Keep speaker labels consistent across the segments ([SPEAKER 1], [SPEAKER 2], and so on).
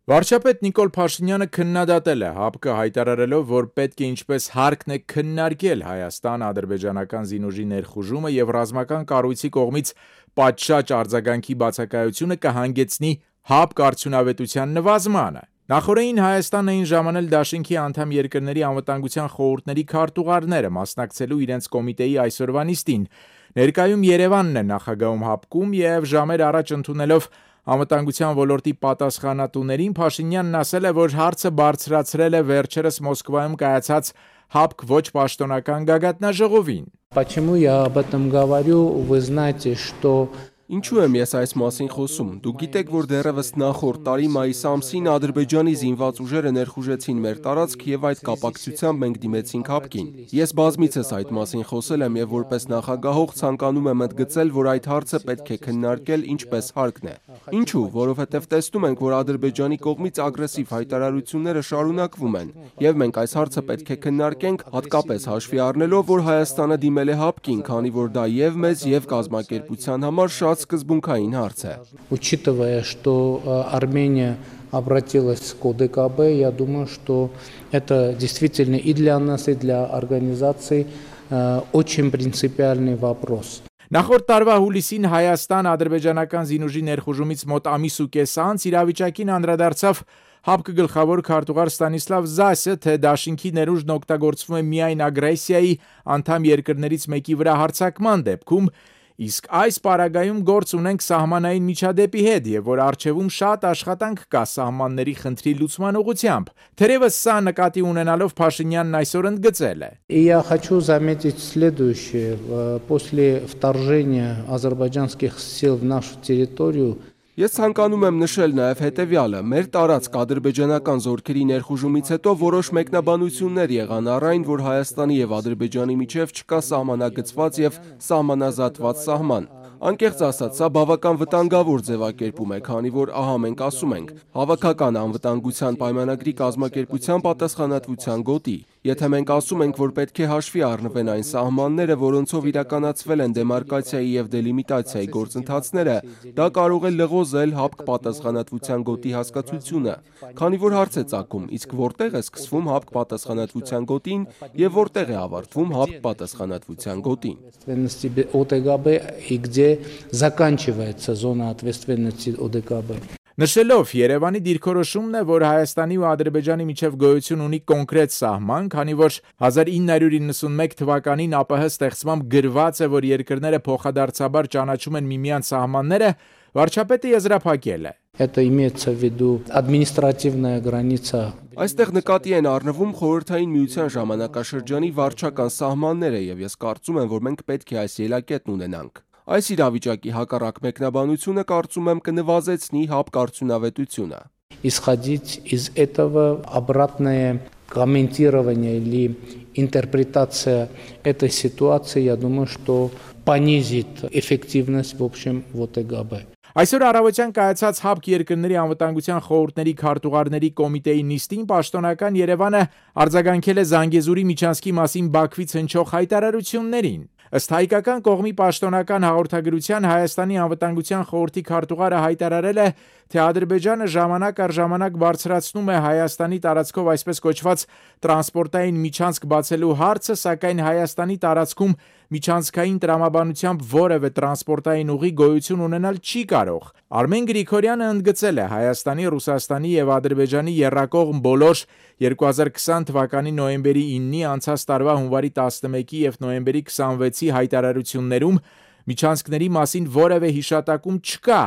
[SPEAKER 1] Վարչապետ Նիկոլ Փաշինյանը քննադատել է ՀԱՊԿ հայտարարելով, որ պետք է ինչպես հարկն է քննարկել Հայաստան-ադրբեջանական զինուժի ներխուժումը եւ ռազմական կառույցի կողմից պատշաճ արձագանքի բացակայությունը կհանգեցնի ՀԱՊԿ արդյունավետության նվազմանը։ Նախորդին Հայաստանն էին ժամանել դաշինքի անդամ երկրների անվտանգության խորհուրդների քարտուղարները մասնակցելու իրենց կոմիտեի այսօրվա նիստին։ Ներկայում Երևանն է նախագահում ՀԱՊԿ-ում եւ ժամեր առաջ ընդունելով անվտանգության ոլորտի պատասխանատուներին Փաշինյանն ասել է, որ հարցը բարձրացրել է վերջերս Մոսկվայում կայացած ՀԱՊԿ ոչ պաշտոնական գագաթնաժողովին։
[SPEAKER 2] Почему я об этом говорю? Вы знаете, что
[SPEAKER 3] Ինչու եմ ես այս մասին խոսում։ Դուք գիտեք, որ դեռևս նախորդ տարի մայիս ամսին Ադրբեջանի զինված ուժերը ներխուժեցին մեր տարածք եւ այդ կապակցությամբ մենք դիմեցինք ՀԱՊԿ-ին։ Ես բազմիցս այդ մասին խոսել եմ եւ որպես նախագահող ցանկանում եմ ընդգծել, որ այդ հարցը պետք է քննարկել ինչպես հարկն է։ Ինչու՞, որովհետեւ տեսնում ենք, որ Ադրբեջանի կողմից ագրեսիվ հայտարարությունները շարունակվում են եւ մենք այս հարցը պետք է քննարկենք, հատկապես հաշվի առնելով, որ Հայաստանը դիմել է ՀԱՊԿ-ին, քանի որ դա եւ մեզ եւ կազմակերպության համար շատ սկզբունքային հարց է։
[SPEAKER 2] Учитывая, что Армения обратилась к ОДКБ, я думаю, что это действительно и для нас, и для организации очень принципиальный вопрос.
[SPEAKER 1] Նախորդ տարվա հուլիսին Հայաստան-ադրբեջանական զինուժի ներխուժումից մոտ ամիս ու կես անց իրավիճակին անդրադարձավ ՀԱՊԿ գլխավոր քարտուղար Ստանիսլավ Զասը, թե դաշինքի ներուժն օգտագործվում է միայն ագրեսիայի անդամ երկրներից մեկի վրա հարձակման դեպքում, իսկ այս պարագայում գործ ունենք սահմանային միջադեպի հետ եւ որ արժեվում շատ աշխատանք կա սահմանների խնդրի լուծման ուղղությամբ։ Թերևս սա նկատի ունենալով Փաշինյանն այսօր ընդգծել է.
[SPEAKER 2] И я хочу заметить следующее. После вторжения азербайджанских сил в нашу территорию
[SPEAKER 3] Ես ցանկանում եմ նշել նաև հետևյալը. մեր տարածք ադրբեջանական զորքերի ներխուժումից հետո որոշ մեկնաբանություններ եղան առ այն, որ Հայաստանի եւ Ադրբեջանի միջև չկա սահմանագծված եւ սահմանազատված սահման։ Անկեղծ ասած, սա բավական վտանգավոր ձևակերպում է, քանի որ ահա մենք ասում ենք, հավաքական անվտանգության պայմանագրի կազմակերպության պատասխանատվության գոտի։ Եթե մենք ասում ենք, որ պետք է հաշվի առնվեն այն սահմանները, որոնցով իրականացվել են դեմարկացիայի եւ դելիմիտացիայի գործընթացները, դա կարող է լղոզել ՀԱՊԿ պատասխանատվության գոտի հասկացությունը, քանի որ հարց է ծագում, իսկ որտեղ է սկսվում ՀԱՊԿ պատասխանատվության գոտին եւ որտեղ է ավարտվում ՀԱՊԿ պատասխանատվության գոտին։
[SPEAKER 2] Заканчивается зона ответственности ОДКБ.
[SPEAKER 1] Նշելով Երևանի դիրքորոշումն է, որ Հայաստանի ու Ադրբեջանի միջև գոյություն ունի կոնկրետ սահման, քանի որ 1991 թվականին ԱՊՀ ստեղծմամբ գրված է, որ երկրները փոխադարձաբար ճանաչում են միմյանց սահմանները, վարչապետը եզրափակել է.
[SPEAKER 2] Это имеется в виду административная граница.
[SPEAKER 3] Այստեղ նկատի են առնվում խորհրդային միության ժամանակաշրջանի վարչական սահմանները եւ ես կարծում եմ, որ մենք պետք է այս ելակետն ունենանք։ Այս իրավիճակի հակառակ մեկնաբանությունը կարծում եմ կնվազեցնի ՀԱՊԿ արդյունավետությունը։
[SPEAKER 2] Исходить из этого обратное комментирование или интерпретация этой ситуации, я думаю, что понизит эффективность в общем ОТГБ.
[SPEAKER 1] Այսօր առավոտյան կայացած ՀԱՊԿ երկրների անվտանգության խորհուրդների քարտուղարների կոմիտեի նիստին պաշտոնական Երևանը արձագանքել է Զանգեզուրի միջանցքի մասին Բաքվից հնչող հայտարարություններին։ Ըստ հայկական կողմի պաշտոնական հաղորդագրության Հայաստանի անվտանգության խորհրդի քարտուղարը հայտարարել է, թե Ադրբեջանը ժամանակ առ ժամանակ բարձրացնում է Հայաստանի տարածքով այսպես կոչված տրանսպորտային միջանցք բացելու հարցը, սակայն Հայաստանի տարածքում միջանցքային տրամաբանությամբ որևէ տրանսպորտային ուղի գոյություն ունենալ չի կարող։ Արմեն Գրիգորյանը ընդգծել է Հայաստանի, Ռուսաստանի եւ Ադրբեջանի եռակողմ բոլոր 2020 թվականի նոյեմբերի 9-ի, անցած տարվա հունվարի 11-ի եւ նոյեմբերի 26-ի հայտարարություններում միջանցքների մասին որևէ հիշատակում չկա։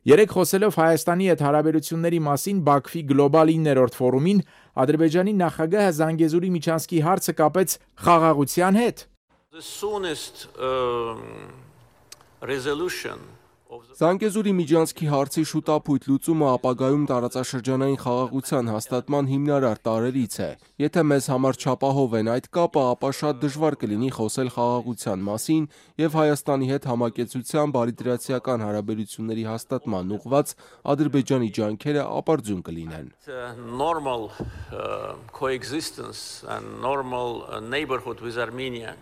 [SPEAKER 1] Երեք խոսելով Հայաստանի հետ հարաբերությունների մասին Բաքվի գլոբալ 9-րդ ֆորումին Ադրբեջանի նախագահը Զանգեզուրի միջանցքի հարցը կապեց խաղաղության հետ։
[SPEAKER 3] Զանգեզուրի միջանցքի հարցի շուտապույտ լուծումը ապագայում տարածաշրջանային խաղաղության հաստատման հիմնարար տարրերից է։ Եթե մեզ համար չապահով են այդ կապը, ապա շատ դժվար կլինի խոսել խաղաղության մասին եւ Հայաստանի հետ համակեցության բարիդրացիական հարաբերությունների հաստատման ուղղված Ադրբեջանի ջանքերը ապարդյուն կլինեն։
[SPEAKER 4] Normal coexistence and normal neighborhood with Armenia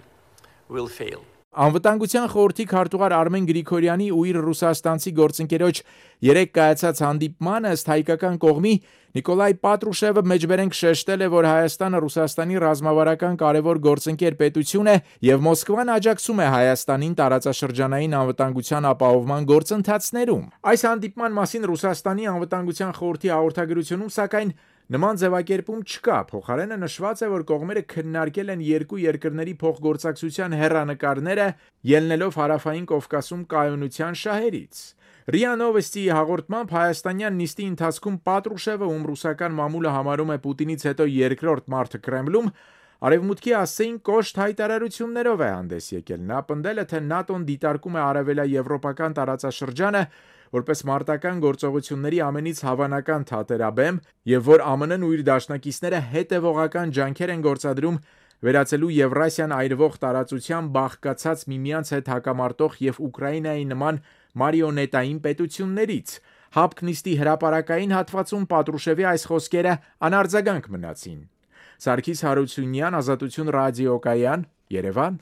[SPEAKER 4] will fail.
[SPEAKER 1] Անվտանգության խորհրդի քարտուղար Արմեն Գրիգորյանի ու իր ռուսաստանցի գործընկերոջ երեկ կայացած հանդիպմանը ըստ հայկական կողմի Նիկոլայ Պատրուշևը մեջբերենք շեշտել է, որ Հայաստանը Ռուսաստանի ռազմավարական կարևոր գործընկեր պետություն է եւ Մոսկվան աջակցում է Հայաստանին տարածաշրջանային անվտանգության ապահովման գործընթացներում։ Այս հանդիպման մասին Ռուսաստանի անվտանգության խորհրդի հաղորդագրությունում սակայն նման ձևակերպում չկա, փոխարենը նշված է, որ կողմերը քննարկել են երկու երկրների փոխգործակցության հեռանկարները, ելնելով Հարավային Կովկասում կայունության շահերից։ ՌԻԱ Նովոստի հաղորդմամբ հայաստանյան նիստի ընթացքում Պատրուշևը, ում ռուսական մամուլը համարում է Պուտինից հետո երկրորդ մարդը Կրեմլում, Արևմուտքի ասեին կոշտ հայտարարություններով է հանդես եկել։ Նա պնդել է, թե ՆԱՏՕ-ն դիտարկում է արևելաեվրոպական տարածաշրջանը որպես մարտական գործողությունների ամենից հավանական թատերաբեմ եւ որ ԱՄՆ-ն ու իր դաշնակիցները հետեւողական ջանքեր են գործադրում վերածելու Եվրասիան այրվող տարածության բաղկացած միմյանց հետ հակամարտող եւ Ուկրաինայի նման մարիոնետային պետություններից։ ՀԱՊԿ նիստի հրապարակային հատվածում Պատրուշևի այս խոսքերը անարձագանք մնացին։ Սարգիս Հարությունյան, Ազատություն ռադիոկայան, Երևան։